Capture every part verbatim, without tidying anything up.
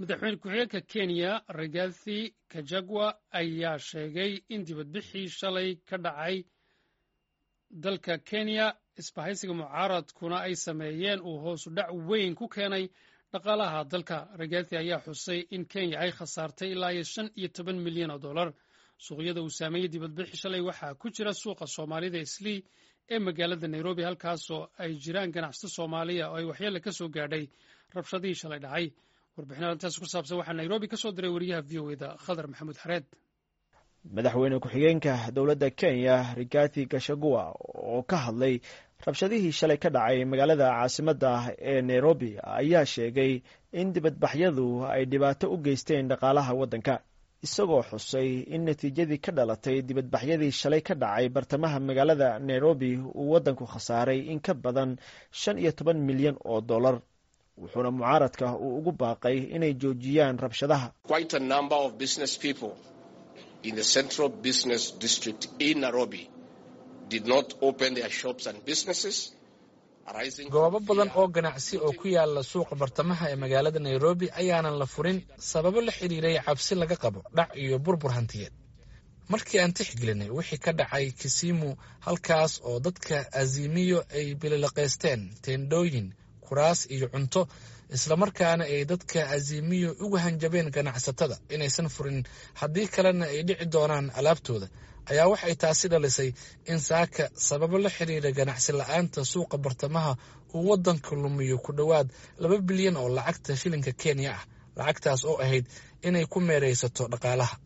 Madaxweyne ku-xigeenka Kenya Rigathi Gachagua ayaa sheegay in dibadbixii shalay ka dhacay dalka Kenya, isbahaysiga mucaaradkuna ay sameeyeen, uu hoosu dhac weyn ku keenay dhaqaalaha dalka. Rigathi ayaa xusay in Kenya ay khasaartay ilaa iyo shan iyo toban milyan oo dollar. Suuqyada uu saameeyey dibadbixii shalay waxaa ku jira suuqa Soomaalida Islii ee magaalada Nairobi, halkaasoo ay jiraan ganacsato Soomaaliya oo ay waxyeele ka soo gaadhay rabshadihii shalay dhacay. Warbixin arrintaas ku saabsan waxaa Nairobi ka soo diray wariyaha V O A da, Khadar Maxamuud Xareed. Madaxweyne ku-xigeenka dowladda Kenya Rigathi Gachagua oo ka hadlay rabshadihii shalay ka dhacay magaalada caasimadda ee Nairobi ayaa sheegay in dibadbaxyadu ay dhibaato u geysteen dhaqaalaha waddanka, isagoo xusay in natiijadii ka dhalatay dibadbaxyadii shalay ka dhacay bartamaha magaalada Nairobi uu waddanku khasaaray in ka badan shan iyo toban milyan oo dollar, wuxuuna mucaaradka uu ugu baaqay inay joojiyaan rabshadaha. In the central business district in Nairobi did not open their shops and businesses. Goobo badan oo ganacsi oo ku yaala suuqa bartamaha ee magaalada Nairobi ayaanan la furin sababo la xiriiray cabsi laga qabo dhac iyo burbur hantiyeed. Markii aan tixgelinay wixii ka dhacay Kisimu, halkaas oo dadka Azimio ay bililiqaysteen teendhooyin, kuraas iyo cunto, islamarkaana ay dadka Azimio ugu hanjabeen ganacsatada inaysan furin, haddii kalena ay dhici doonaan alaabtooda, ayaa waxay taasi dhalisay in saaka sababo la xiriira ganacsi la-aanta suuqa bartamaha uu waddanka lumiyo ku dhowaad laba bilyan oo lacagta shilinka Kenya ah, lacagtaas oo ahayd inay ku meeraysato dhaqaalaha.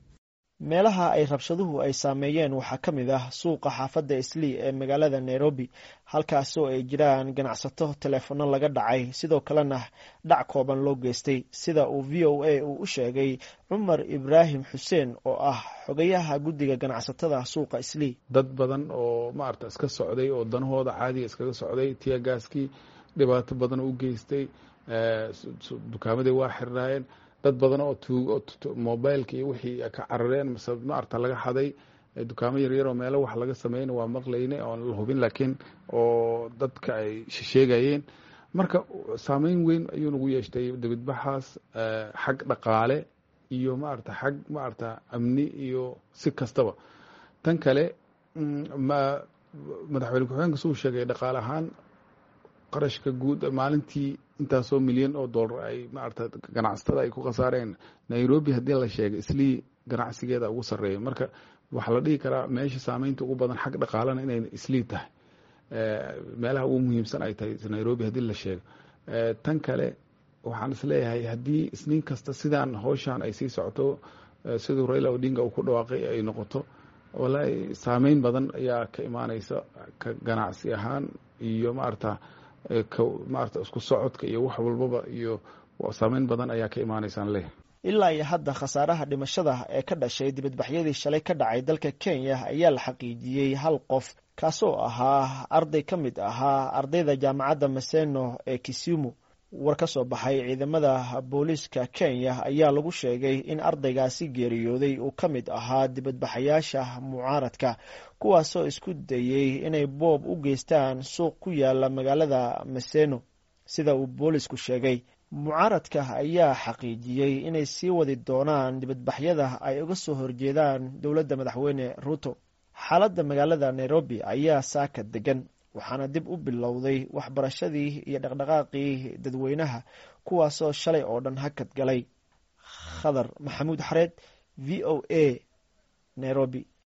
Meelaha ay rabshaduhu ay saameeyeen waxaa ka mid ah suuqa xaafadda Islii ee magaalada Nairobi, halkaasoo ay jiraan ganacsato teleefono laga dhacay, sidoo kalena dhac kooban loo geystay, sida uu V O A uu u sheegay Cumar Ibraahim Xuseen oo ah xogayaha guddiga ganacsatada suuqa Islii. Dad badan oo maarata iska socday oo danahooda caadiga iskaga socday, teargaskii dhibaato badan u geystay, dukaamadii waa xirnaayeen. Dad badan oo tuug mobileka iyo wixii ka carareen mise maarata laga xaday dukaamo yaryar oo meelo wax laga sameyna waa maqlayne oon la hubin, laakiin oo dadka ay sheegayeen. Marka saameyn weyn ayuu nagu yeeshtay dibadbaxaas, xag dhaqaale iyo maarata xag maarata amni iyo si kastaba. Tan kale, ma madaxweyne ku-xigeenka suu sheegay, dhaqaale ahaan qarashka guud maalintii intaasoo milyan oo dollar ay maarata ganacsatada ay ku khasaareen. Nairobi haddii la sheegay, Islii ganacsigeeda ugu sarreeya. Marka waxaa la dhihi karaa meesha saameynta ugu badan xag dhaqaalena inay Islii tahay, meelaha ugu muhiimsan ay tahay Nairobi haddii la sheego. Tan kale, waxaan isleeyahay haddii Isniin kasta sidaan howshaan ay sii socoto, siduu Raila Odinga uu ku dhawaaqay ay noqoto, wallaahi saameyn badan ayaa ka imaaneysa ka ganacsi ahaan iyo maarata maarata isku socodka iyo wax walbaba, iyo saameyn badan ayaa ka imaaneysaan leeyahay. Ilaa iyo hadda khasaaraha dhimashada ee ka dhashay dibadbaxyadii shalay ka dhacay dalka Kenya ayaa la xaqiijiyey hal qof, kaasoo ahaa arday ka mid ahaa ardayda jaamacadda Maseno ee Kisumu. War ka soo baxay ciidamada booliiska Kenya ayaa lagu sheegay in ardaygaasi geeriyooday uu ka mid ahaa dibadbaxayaasha mucaaradka, kuwaasoo isku dayey inay boob u geystaan suuq ku yaala magaalada Maseno. Sida uu boolisku sheegay, mucaaradka ayaa xaqiijiyey inay sii wadi doonaan dibadbaxyada ay uga soo horjeedaan dowladda Madaxweyne Ruto. Xaaladda magaalada Nairobi ayaa saaka degan, waxaana dib u bilowday waxbarashadii iyo dhaqdhaqaaqii dadweynaha, kuwaasoo shalay oo dhan hakad galay. Khadar Maxamuud Xareed, V O A, Nairobi.